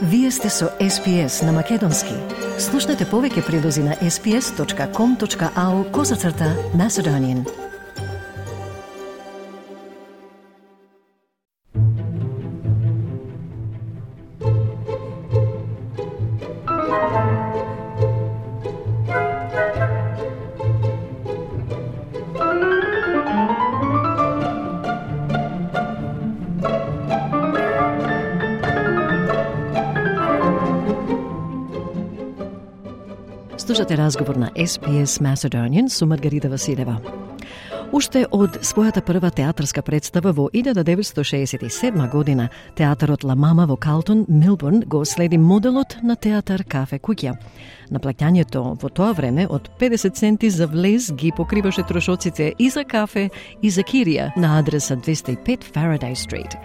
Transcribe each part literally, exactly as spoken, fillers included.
Вие сте со Ес Би Ес на Македонски. Слушнете повеќе прилози на ес би ес точка ком точка ау козацрта Macedonian. Слушате разговор на Ес Би Ес Macedonian со Маргарита Василева. Уште од својата прва театарска представа во илјада деветстотини шеесет и седма година, театарот Ла Мама во Калтон, Мелбурн, го следи моделот на театар Кафе куќа. Наплаќањето во тоа време од педесет центи за влез ги покриваше трошоците и за кафе и за кирија на адреса двеста и пет Faraday Street.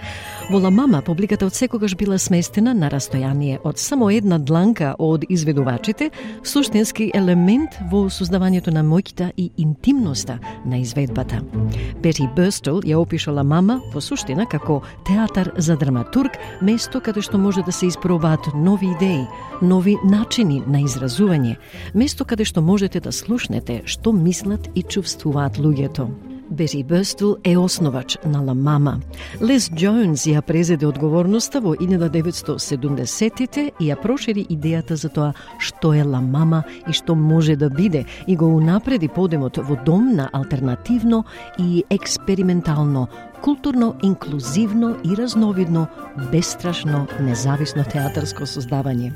Во Ла Мама публиката од секогаш била сместена на растојание од само една дланка од изведувачите, суштински елемент во создавањето на моќта и интимноста на изведбата. Бети Бърстъл ја опиша Ла Мама во суштина како театар за драматург, место каде што може да се испробаат нови идеи, нови начини на изразување, место каде што можете да слушнете што мислат и чувствуваат луѓето. Бети Бърстъл е основач на Ла Мама. Лес Джонс ја презеде одговорноста во илјада деветстотини седумдесеттите и ја прошири идејата за тоа што е Ла Мама и што може да биде и го унапреди подемот во дом на алтернативно и експериментално, културно, инклузивно и разновидно, бестрашно, независно театарско создавање.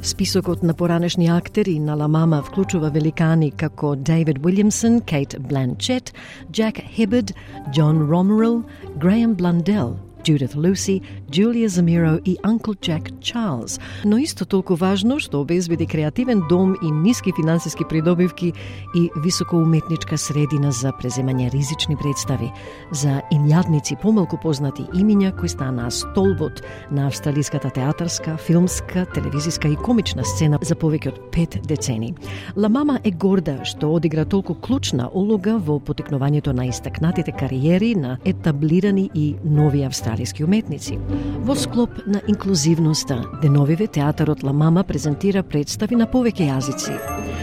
Списокот на поранешни актери на Ла Мама вклучува великани како Дейвид Уилјамсон, Кейт Бланчет, Джак Хибард, Джон Ромерил, Греем Бландел, Judith Lucy, Julia Zamiro и Uncle Jack Charles. Но исто толку важно што обезбеди креативен дом и ниски финансиски придобивки и високоуметничка средина за преземање ризични представи, за инјадници помалку познати имиња кои станаа столбот на австралиската театарска, филмска, телевизиска и комична сцена за повеќе од пет децени. Ла Мама е горда што одигра толку клучна улога во потекнувањето на истакнатите кариери на етаблирани и нови австралиски уметници. Во склоп на инклузивноста, деновиве театарот Ла Мама презентира представи на повеќе јазици.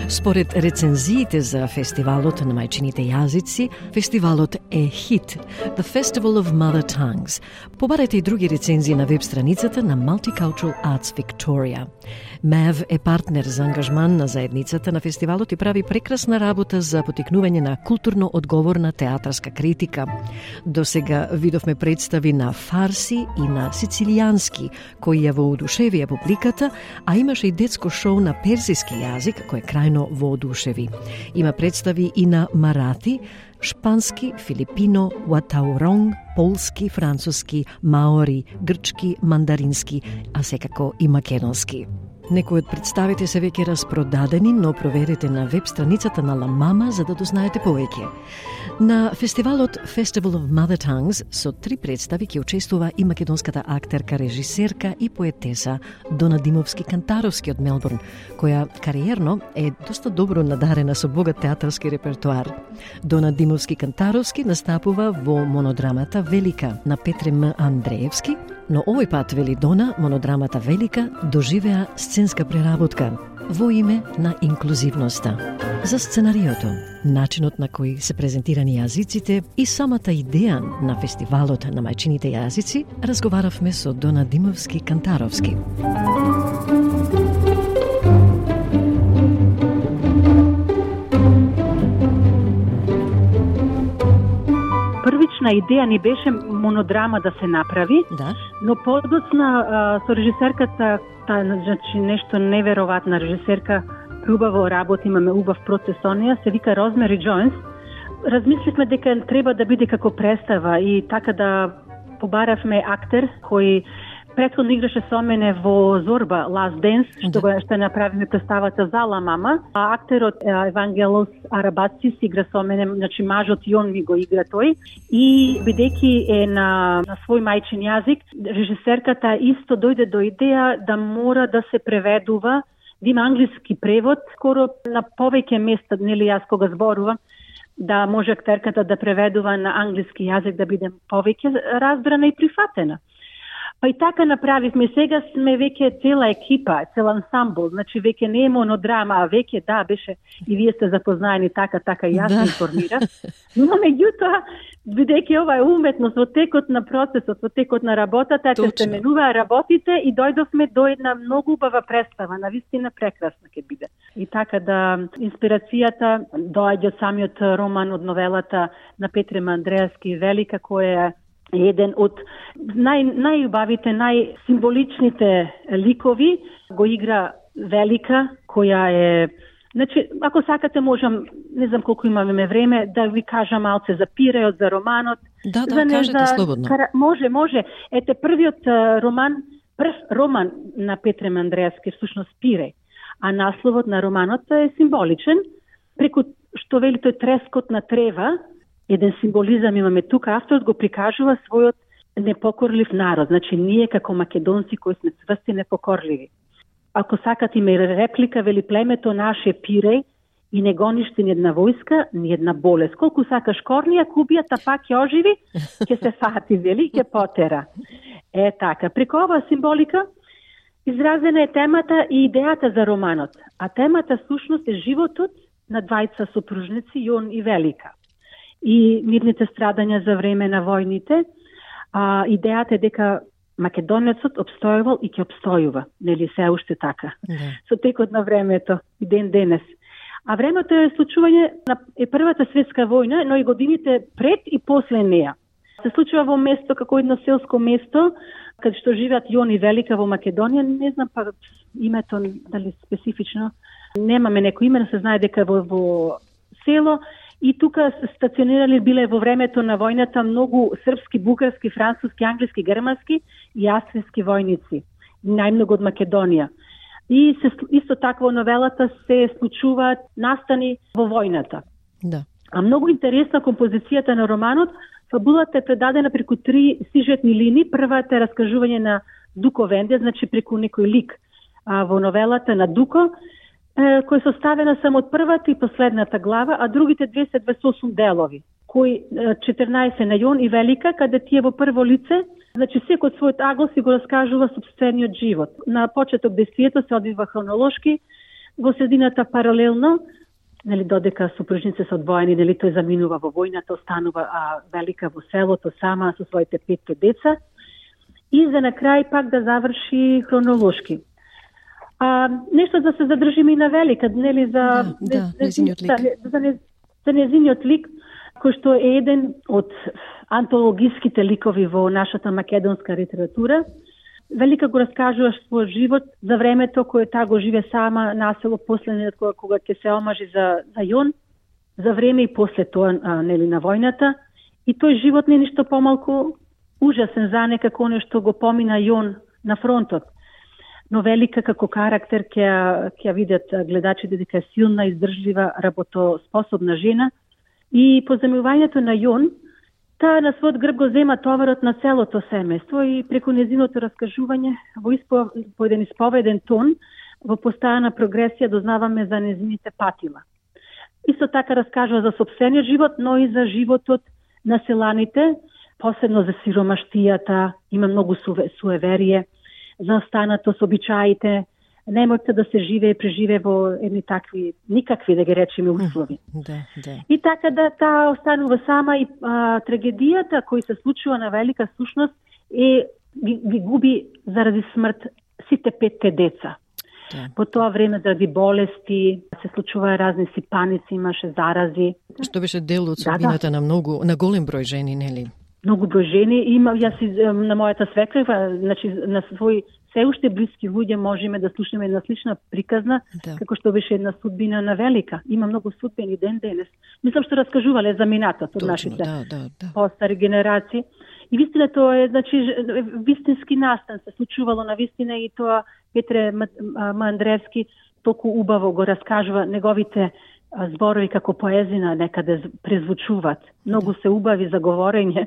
Според рецензиите за фестивалот на мајчините јазици, фестивалот е хит. The Festival of Mother Tongues. Побарете и други рецензии на веб страницата на Multicultural Arts Victoria. Мев е партнер за ангажман на заедницата на фестивалот и прави прекрасна работа за потикнување на културно одговорна театарска критика. До сега видовме представи на фарси и на сицилијански, кои ја воодушевија публиката, а имаше и детско шоу на персиски јазик, кој крајно воодушеви. Има представи и на марати, шпански, филипино, уатауронг, полски, француски, маори, грчки, мандарински, а секако и македонски. Некои од представите се веќе распродадени, но проверете на веб страницата на Ла Мама за да дознаете повеќе. На фестивалот Festival of Mother Tongues со три представи ќе учествува и македонската актерка, режисерка и поетеса Дона Димовски-Кантаровски од Мелбурн, која кариерно е доста добро надарена со богат театарски репертоар. Дона Димовски-Кантаровски настапува во монодрамата Велика на Петре М. Андреевски, но овој пат, вели Дона, монодрамата Велика доживеа сценска преработка во име на инклузивноста. За сценариото, начинот на кој се презентирани јазиците и самата идеја на фестивалот на мајчините јазици, разговаравме со Дона Димовски-Кантаровски. Првична идеја ни беше монодрама да се направи, да. Но подоцна со режисерката, та, значи нешто неверојатна режисерка, убаво работи, имаме убав процес со неја, се вика Розмери Джонс. Размисливме дека треба да биде како представа и така да побаравме актер кој претходно играше со мене во Зорба Last Dance, што го што направиме представата за Ла Мама, а актерот Евангелос Арабацис игра со мене, значи мажот и он ми го игра тој. И бидејќи е на, на свој мајчин јазик, режисерката исто дојде до идеја да мора да се преведува, да има англиски превод, скоро на повеќе места, нели јас кога зборувам, да може актерката да преведува на англиски јазик, да биде повеќе разбрана и прифатена. Па и така направивме. Сега сме веќе цела екипа, цел ансамбл, значи веќе не е монодрама, а веќе да, беше и вие сте запознаени така, така и јас да. информирам. Но меѓутоа, бидејќи ова е уметност во текот на процесот, во текот на работата, ќе се менуваа работите и дојдовме до една многу убава представа, навистина прекрасна ќе биде. И така да инспирацијата доаѓа од самиот роман, од новелата на Петре Мандреевски Велика, која е еден од нај, најубавите, најсимволичните ликови, го игра Велика, која е... Значи, ако сакате, можам, не знам колку имаме време, да ви кажам малце за пиреот, за романот. Да, да, за не, кажете за... слободно. Може, може. Ете, првиот роман, прв роман на Петре Мандреевски, всушност Пиреј, а насловот на романот е символичен, преку што вели тој трескот на трева, еден символизам имаме тука, авторот го прикажува својот непокорлив народ. Значи, ние како македонци кои сме цврсти непокорливи. Ако сакате има реплика, вели племето наше Пиреј и не гониште ни една војска, ни една болест. Колку сакаш корнија, кубијата пак ќе оживи, ќе се фати, вели, ќе потера. Е така, преку оваа символика изразена е темата и идејата за романот. А темата всушност е животот на двајца сопружници, Јон и Велика. И мирните страдања за време на војните. А, идејата е дека македонецот обстојувал и ќе обстојува. Нели се уште така. Да. Со текот на времето и ден денес. А времето е случување на е првата светска војна, но и годините пред и после неја. Се случува во место како едно селско место, каде што живеат Јон и Велика во Македонија, не знам па името дали специфично. Немаме некој име, се знае дека во, во село. И тука стационирали биле во времето на војната многу српски, бугарски, француски, англиски, германски и австријски војници. Најмногу од Македонија. И се, исто така во новелата се случуваат настани во војната. Да. А многу интересна композицијата на романот, фабулата е предадена преку три сюжетни линии. Првата е раскажување на Дуко Венде, значи преку некој лик а, во новелата на Дуко, кој е составена само од првата и последната глава, а другите две се дваесет и осум делови, кои четрнаесет на Јон и Велика, каде тие во прво лице, значи секој од својот агол си го раскажува собствениот живот. На почеток действието се одвива хронолошки, во средината паралелно, нели додека сопружници се одвоени, нели тој заминува во војната, останува а Велика во селото сама со своите петте деца, и за на крај пак да заврши хронолошки. А, нешто да се задржиме и на Велика, нели за да, да, незиниот лик. За, за, за незиниот лик, кој што е еден од антологиските ликови во нашата македонска литература. Велика го раскажува својот живот за времето кое таа го живе сама на село, последниот кога, кога ќе се омажи за, за Јон, за време и после тоа а, нели на војната. И тој живот не е ништо помалку ужасен за не како нешто го помина Јон на фронтот. Но Велика како карактер ќе ќе видат гледачите дека е силна, издржлива, работоспособна жена. И по земјувањето на Јон, таа на својот грб го зема товарот на целото семејство и преку незиното раскажување во испо, по еден исповеден тон, во постојана прогресија дознаваме за незините патила. Исто така раскажува за сопствениот живот, но и за животот на селаните, посебно за сиромаштијата, има многу суеверие, за останато со обичаите, немојте да се живее, преживее во едни такви, никакви да ги речеме услови. Да, да. И така да таа останува сама и а, трагедијата која се случува на Велика сушност е ги, ги губи заради смрт сите петте деца. Да. По тоа време заради болести се случува разни сипаници, имаше зарази. Што беше дел од судбината да, да. на многу, на голем број жени, нели? Многу број жени. Има, јас на мојата свекрва, значи на свој се уште блиски луѓе можеме да слушнеме една слична приказна, да. Како што беше една судбина на Велика. Има многу судбини ден денес. Мислам што раскажувале за минатот од нашите да, да, да. постари генерации. И вистина тоа е, значи, вистински настан се случувало на вистина и тоа Петре Мандреевски толку убаво го раскажува неговите зборови како поезина некаде презвучуваат. Многу се убави за говорење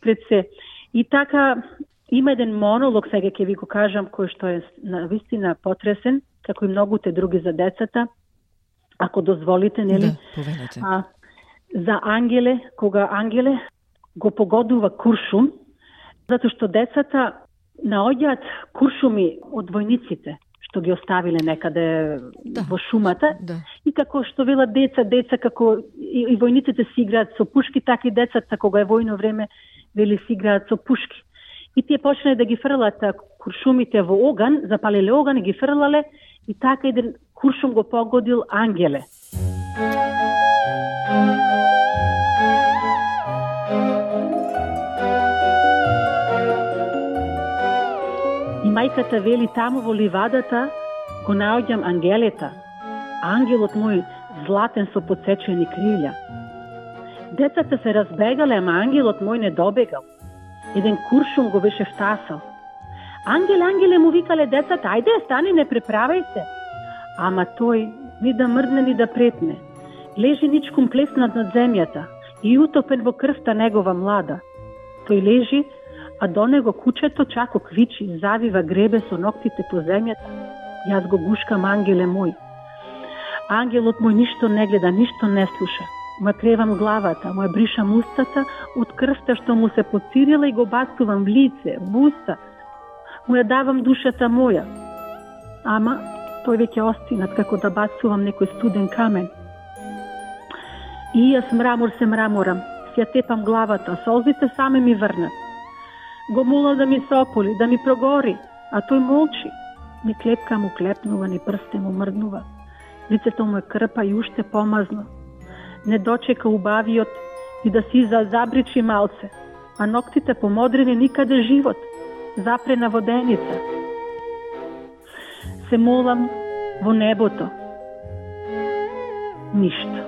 пред се. И така има еден монолог, сега ќе ви го кажам, кој што е на вистина потресен, како и многуте други за децата. Ако дозволите, нели? Да, повелете. А, за Ангеле, кога Ангеле го погодува куршум, затоа што децата наоѓаат куршуми од војниците, што ги оставиле некаде да. Во шумата. Да. И како што велат деца, деца како и, и војниците си играат со пушки, така и децата кога е војно време вели си играат со пушки. И тие почнале да ги фрлат куршумите во оган, запалиле оган и ги фрлале, и така еден куршум го погодил Ангеле. И мајката вели, таму во ливадата го наоѓам Ангелета, ангелот мој златен со подсечени крилја. Децата се разбегале, ама ангелот мој не добегал. Еден куршум го беше втасал. Ангеле, ангеле, му викале децата, ајде, стани, не преправај се. Ама тој ни да мрдне, ни да претне. Лежи ничком плеснат над земјата и утопен во крвта негова млада. Тој лежи, а до него кучето чако квичи, завива гребе со ноктите по земјата. Јас го гушкам, ангеле мој. Ангелот мој ништо не гледа, ништо не слуша. Му кревам главата, му бришам устата од крвта што му се поцирила и го бацувам в лице, в уста. Му ја давам душата моја. Ама тој веќе остинат како да бацувам некој студен камен. И јас мрамор се мраморам, си ја тепам главата, солзите саме ми врнат. Го молам да ми се ополи, да ми прогори, а тој молчи. Ни клепка му клепнува, ни прсте му мрднува. Лицето му е крпа и уште помазно. Не дочека убавиот и да си забричи малце, а ноктите помодрени никаде живот, запрена воденица. Се молам во небото. Ништо.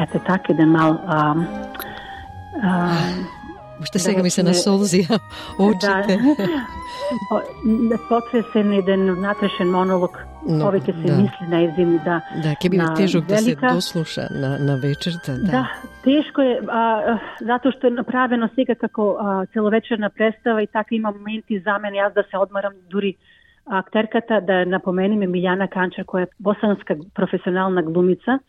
Ете така еден мал... А, а, Уште сега ми се насолзија очите. Да, потресен еден внатрешен монолог, no, повеќе се да. Мисли на езин, да. Да, ќе биде тежок да се дослуша на, на вечерта. Да. Да, тешко е, а, затоа што е направено сега како а, целовечерна представа и така има моменти за мене, јас да се одмарам, дури актерката, да напомениме Милјана Канчар, која е босанска професионална глумица,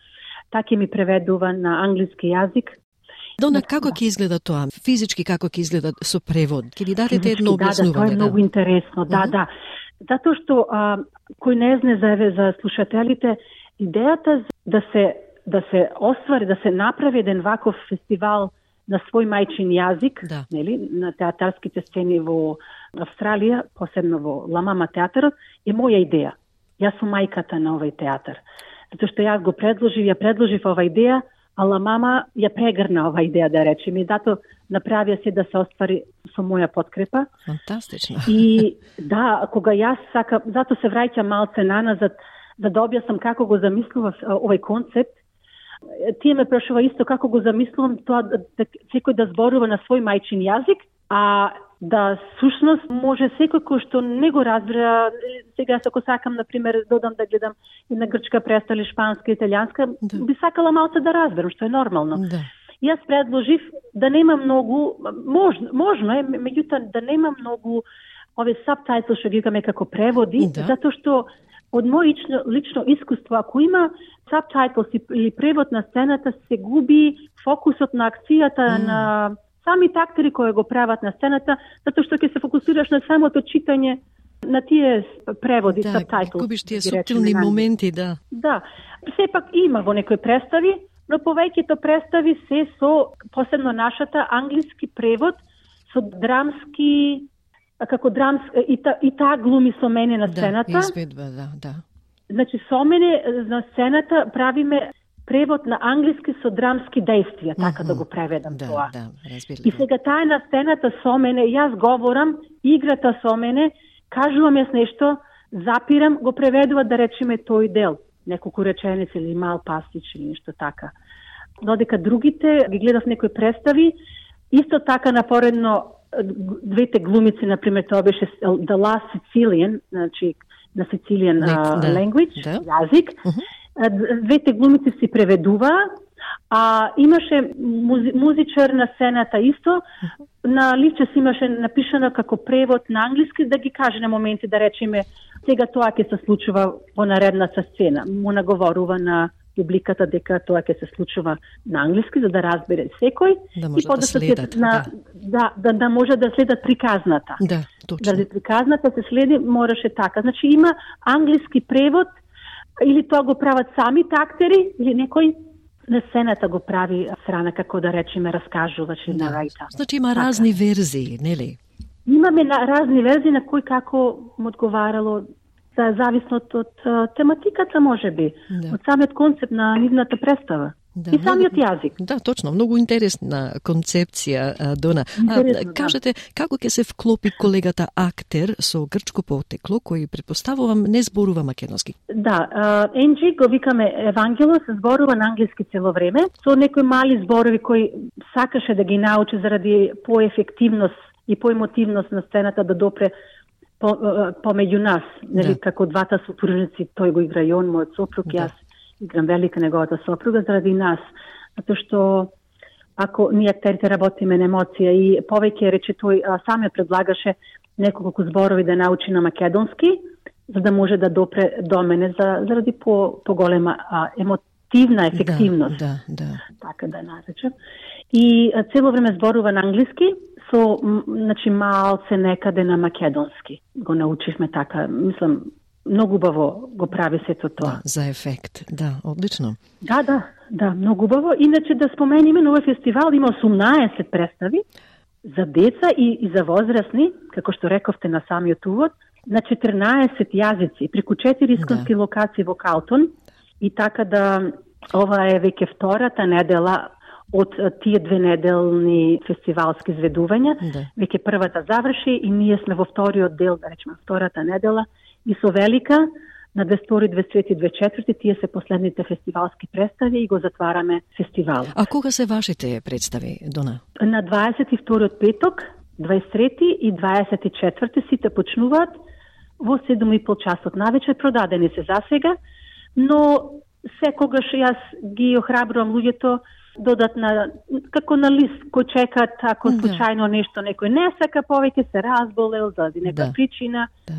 така ми преведува на англиски јазик. Дона, како ќе изгледа тоа? Физички како ќе изгледа со превод? Ќе ни дадете едно објаснување? Да, да, тоа е многу да. Интересно. Да, uh-huh. да. Затоа што а, кој не знае за за слушателите, идејата да се да се оствари, да се направи еден ваков фестивал на свој мајчин јазик, да. Нели, на театарските сцени во Австралија, посебно во Ла Мама театарот, е моја идеја. Јас сум мајката на овој театар. Затоа што јас го предложив, ја предложив ова идеја, а Ла Мама ја прегрна ова идеја, да речем, и зато направија се да се оствари со моја подкрепа. Фантастично. И да, кога јас сака, зато се враќам малце наназад, да да објаснам како го замислував овој концепт. Тие ме прашува исто како го замислувам тоа да, да секој да зборува на свој мајчин јазик, а да сушност може секој кој што не го разбира, сега ако сакам, например, додам да гледам и на грчка представа или шпанска, италијанска, да. Би сакала малце да разберам, што е нормално. Да. Јас предложив да нема многу, можно, можно е, меѓутоа да нема многу овие сабтайтл што ги викаме како преводи, да. Затоа што од мој лично, лично искуство, ако има сабтайтл или превод на сцената, се губи фокусот на акцијата, mm. на самите актери кои го прават на сцената, затоа што ќе се фокусираш на самото читање на тие преводи, да, сабтайтл. Да, губиш тие суптилни моменти, да. Да, сепак има во некои представи, но повеќето представи се со, посебно нашата, англиски превод, со драмски, како драмска, и, та, и таа глуми со мене на сцената. Да, изведба, да, да. Значи, со мене на сцената правиме превод на англиски со драмски действија, така mm-hmm. да го преведам да, тоа. Да, разбирам. И сега таа на сцената со мене, јас говорам, играта со мене, кажувам јас нешто, запирам, го преведува да речеме тој дел, неколку реченици или мал пастич или нешто така. Додека другите ги гледав некои представи, исто така напоредно двете глумици, например, тоа беше The Last Sicilian, значи на Sicilian uh, да, language, да. јазик. Uh-huh. Двете глумици си преведуваа, А имаше музи, музичар на сцената исто, на ливче си имаше напишано како превод на англиски, да ги каже на моменти, да речеме, сега тоа ќе се случува во наредната сцена. Му наговорува на публиката дека тоа ќе се случува на англиски, за да разбере секој. Да може и да следат. На, да. Да, да, да може да следат приказната. Да, точно. Да приказната се следи, мораше така. Значи има англиски превод, или тоа го прават самите актери, или некој на сцената го прави страна, како да речеме, раскажуваш и да. нарајта. Значи има така разни верзии, нели? Имаме на, разни верзии на кој како му одговарало, да, зависно од, од тематиката, може би, да. Од самиот концепт на нивната представа. Да, и самиот многу, јазик. Да, точно, многу интересна концепција, Дона. Интересно, а, кажете, да. Како ќе се вклопи колегата актер со грчко потекло, кој предпоставувам не зборува македонски? Да, Енджи го викаме Евангело, се зборува на англиски цело време, со некои мали зборови кои сакаше да ги научи заради поефективност и поемотивност на сцената да допре по, помеѓу нас, нели, да. Како двата сопружници, тој го игра и он, мојот сопруг, да. Јас играм велика неговата сопруга заради нас, затоа што ако ние актерите работиме на емоција и повеќе рече тој а, саме предлагаше неколку зборови да научи на македонски, за да може да допре до мене за, заради по поголема а, емотивна ефективност. Да, да, да. Така да наречем. И а, цело време зборува на англиски, со значи малце некаде на македонски. Го научивме така, мислам, многу убаво го прави сето тоа. Да, за ефект, да, одлично. Да, да, да, многу убаво. Иначе да спомениме, на овој фестивал има осумнаесет представи за деца и, и за возрастни, како што рековте на самиот увод, на четрнаесет јазици, преку четири исконски да. Локации во Калтон. И така да, ова е веќе втората недела од тие две неделни фестивалски изведувања. Да. Веќе првата заврши и ние сме во вториот дел, да речеме, втората недела. И со велика на дваесет и втори, дваесет и трети, дваесет и четврти тие се последните фестивалски представи и го затвараме фестивал. А кога се вашите представи, Дона? На дваесет и вториот петок, дваесет и трети и дваесет и четврти сите почнуваат во седум и пол часот навечер, продадени се засега, но секогаш јас ги охрабрувам луѓето додат на, како на лист кој чекат, ако да. Случајно нешто некој не сака повеќе, се разболел заради нека да. Причина. Да,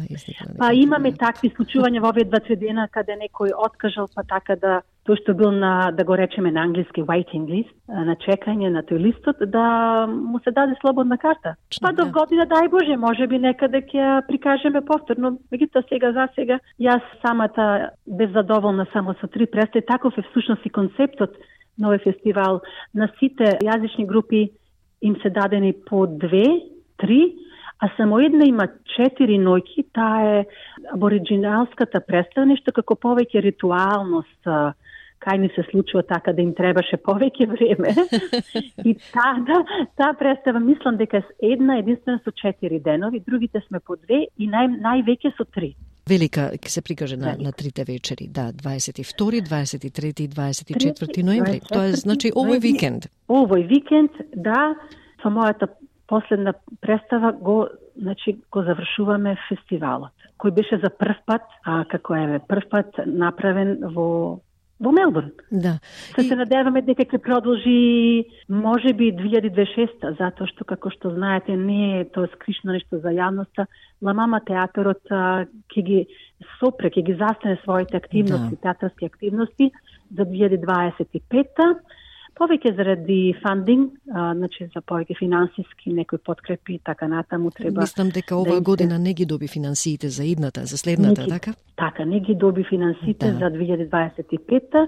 па имаме такви случувања во овие два-три дена каде некој откажал, па така да тој што бил на, да го речеме на англиски waiting list, на чекање на тој листот, да му се даде слободна карта. Па до година, дај Боже, може би некаде ќе прикажеме повторно. Меѓутоа сега за сега јас самата без задоволна само со три представи, таков е всушност и концептот на овој фестивал. На сите јазични групи им се дадени по две, три, а само една има четири ноќи, таа е абориджиналската представа, нешто како повеќе ритуалност, кај ни се случува така да им требаше повеќе време. И таа да, таа представа мислам дека е една единствена со четири денови, другите сме по две и нај, највеќе со три. Велика ќе се прикаже на, на трите вечери, да, дваесет и втори, дваесет и трети и дваесет и четврти ноември. Тоа е, значи, овој викенд. Овој викенд, да, со мојата последна представа го, значи, го завршуваме фестивалот, кој беше за прв пат, а како е прв пат направен во во Мелбурн. Да. Се и... се надеваме дека ќе продолжи можеби две илјади дваесет и шеста, затоа што, како што знаете, не е тоа скришно нешто за јавноста. Ла Мама театарот ќе ги сопре, ќе ги застане своите активности, да. Театарски активности за две илјади дваесет и пета. Повеќе заради фандинг, а, значи за повеќе финансиски некои подкрепи, така натаму треба. Мислам дека оваа да година не ги доби финансиите за идната, за следната, ги, така? Така, не ги доби финансиите да. За две илјади дваесет и пета.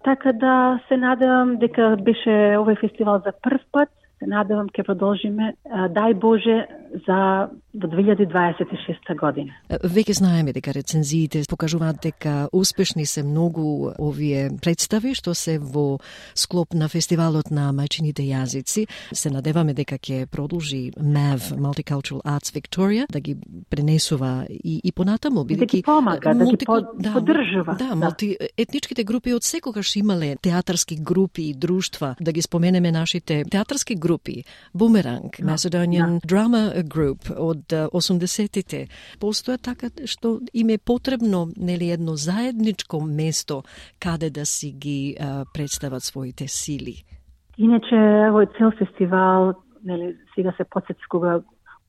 Така да се надевам дека беше овој фестивал за прв пат. Се надевам ќе продолжиме, дај Боже, за до две илјади дваесет и шеста година. Веќе знаеме дека рецензиите покажуваат дека успешни се многу овие представи што се во склоп на фестивалот на мајчините јазици. Се надеваме дека ќе продолжи ем ей ви Multicultural Arts Victoria да ги пренесува и, и понатаму, бидејќи да ги помага, мулти... да ги да, поддржува. Да, да. Мултиетничките групи од секогаш имале театарски групи и друштва, да ги споменеме нашите театарски групи, Бумеранг, Macedonian да. Drama Group од од осумдесетите. Постоја така што им е потребно, нели, едно заедничко место каде да си ги а, представат своите сили. Иначе, овој цел фестивал, нели, сега се подсети кога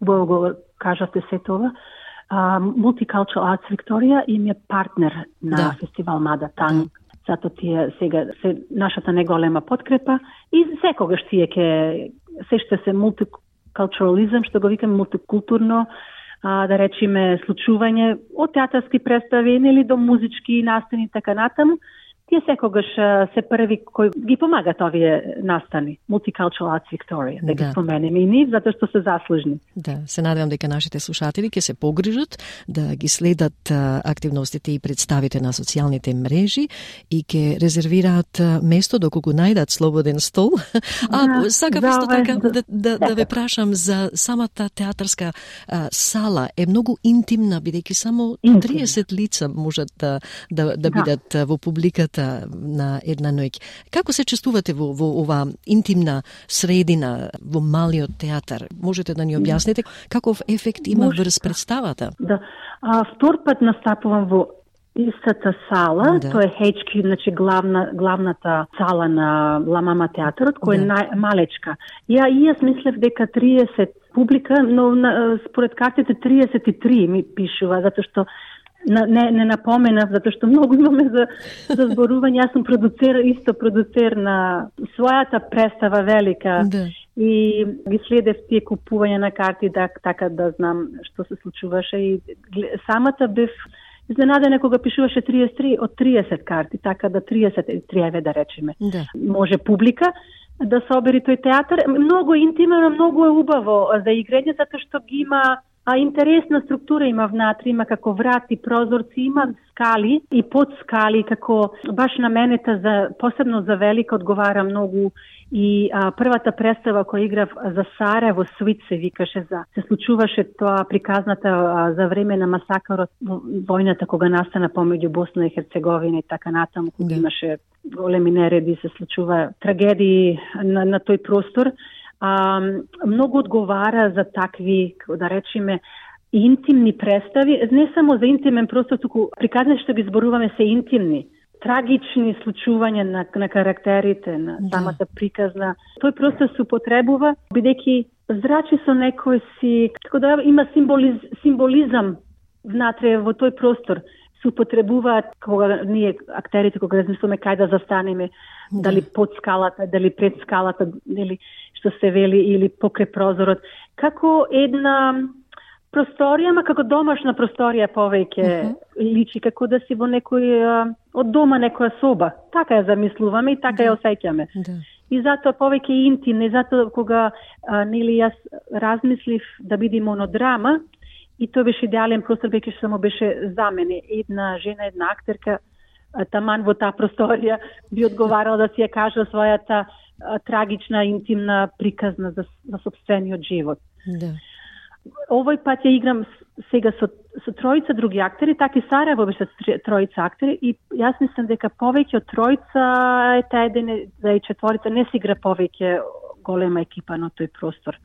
убаво го кажате се това, Uh, Multicultural Arts Victoria им е партнер на да. фестивал Mother Tongue. Да. Зато тие сега се нашата неголема подкрепа и секогаш тие ке се ще се мултикултурализам, што го викаме мултикултурно, а, да речеме случување од театарски представи или до музички настани така натаму. Тие секогаш се први кои ги помагат овие настани. Multicultural Arts Victoria, да, да ги споменеме и ние, затоа што се заслужни. Да, се надевам дека нашите слушатели ќе се погрижат да ги следат а, активностите и представите на социјалните мрежи и ќе резервираат а, место доколку најдат слободен стол. А да, сакав да, исто така да, да, да ве прашам за самата театарска а, сала. Е многу интимна, бидејќи само триесет лица можат да, да, да бидат да. во публиката на една ноќ. Како се чувствувате во, во ова интимна средина, во малиот театар? Можете да ни објасните каков ефект има Може, врз представата? Да. А, втор пат настапувам во истата сала, да. Тоа е Ейч Кју, значи главна, главната сала на Ла Мама театарот, кој да. е најмалечка. Ја и јас мислев дека триесет публика, но на, според картите триесет и три ми пишува, затоа што Не, не напоменав, затоа што многу имаме за, за зборување. Јас сум продуцер, исто продуцер на својата представа велика да. И ги следев тие купување на карти, да, така да знам што се случуваше. И самата бев изненадена кога пишуваше триесет и три од триесет карти, така да триесет и три, да речеме. Да. Може публика да собери тој театар. Многу интимно, многу е убаво за играње, затоа што ги има А интересна структура има внатре, има како врати, прозорци, има скали и под скали, како баш на менета за посебно за Велика одговара многу и а, првата представа која играв за Сараево Свит се викаше за се случуваше тоа приказната а, за време на масакарот војната кога настана помеѓу Босна и Херцеговина и така натаму, кога да. имаше големи нереди, се случува трагедии на, на тој простор. А, многу одговара за такви, да речеме, интимни представи, не само за интимен простор, туку приказни што ги зборуваме се интимни, трагични случувања на, на карактерите, на самата приказна. Тој простор се употребува, бидејќи зрачи со некој си, така да има символиз, символизам внатре во тој простор. Се употребуваат кога ние актерите кога размислуваме кај да застанеме, да. дали под скалата, дали пред скалата, дали што се вели или покрај прозорот, како една просторија, ма како домашна просторија повеќе uh-huh. личи, како да си во некој од дома некоја соба. Така ја замислуваме и така да. ја осеќаме. Да. И затоа повеќе интимно, и затоа кога а, нели јас размислив да биде монодрама, и тоа беше идеален простор, веќе што само беше за мене. Една жена, една актерка, таман во таа просторија би одговарала да си ја кажа својата а, трагична, интимна приказна за, за собствениот живот. Да. Овој пат ја играм сега со, со тројца други актери, така и Сараево беше тројца актери и јас мислам дека повеќе од тројца е таа еден за и четворица не се игра повеќе голема екипа на тој простор.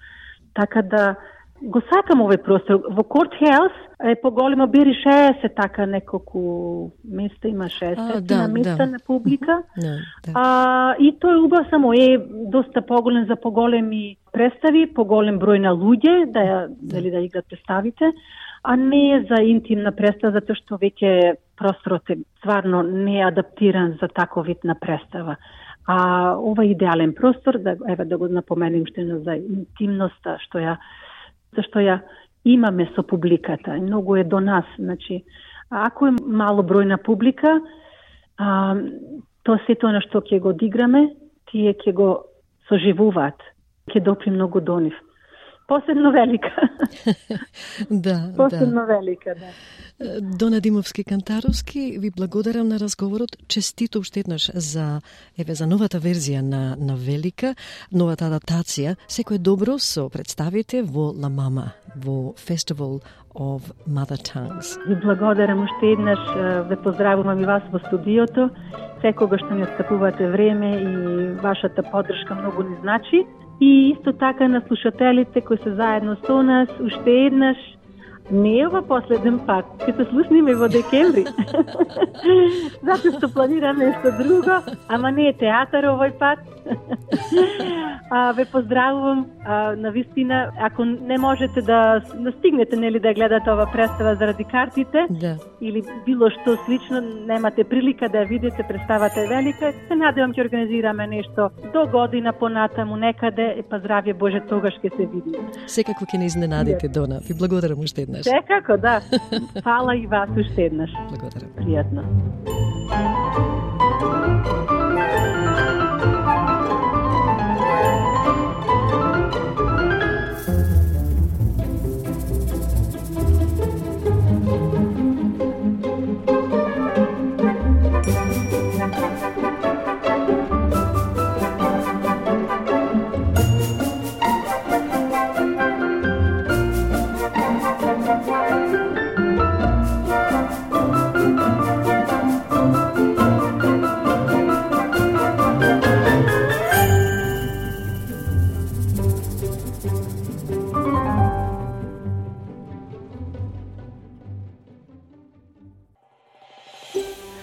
Така да го сакам овој простор. Во Court House е поголемо, бири шеесет така неколку места, има шеесет да, места да. на публика. Да, да. А, и тој убав само е доста поголем за поголеми представи, поголем број на луѓе, да, да. Дали да играт представите, а не за интимна представа, затоа што веќе просторот е стварно не е адаптиран за таков вид на представа. А ова е идеален простор, да, еве да го напоменем уште за интимноста, што ја зашто ја имаме со публиката. Многу е до нас. Значи, ако е мало бројна публика, а, тоа се тоа на што ќе го одиграме, тие ќе го соживуваат, ќе допри многу до нив. Посебно Велика. да, Посебно да. Велика, да. Дона Димовски-Кантаровски, ви благодарам на разговорот. Честито уште еднаш за еве за новата верзија на на Велика, новата адаптација. Секое добро со представите во Ла Мама, во Festival of Mother Tongues. Ви благодарам уште еднаш, ве поздравувам и вас во студиото. Секогаш што ни отстапувате време и вашата поддршка многу ни значи. И исто така на слушателите кои се заедно со нас, уште еднаш, не е ова последен пат, ќе се слушниме во декември. Затоа што планираме нешто друго, ама не е театар овој пат. А, ве поздравувам, а, на вистина, ако не можете да, да стигнете, нели, да гледате ова представа заради картите, да, или било што слично, немате прилика да ја видите, представата е велика, се надевам ќе организираме нешто до година понатаму некаде, па здравје Боже, тогаш ќе се видиме. Секако ќе не изненадите, Дона. Ви благодарам уште еднаш. Секако, да. Фала и вас уште еднаш. Благодарам. Пријатно.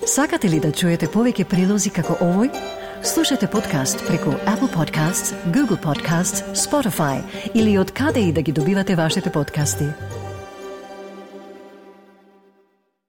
Сакате ли да чуете повеќе прилози како овој? Слушате подкаст преку Apple Podcasts, Google Podcasts, Spotify или од каде и да ги добивате вашите подкасти.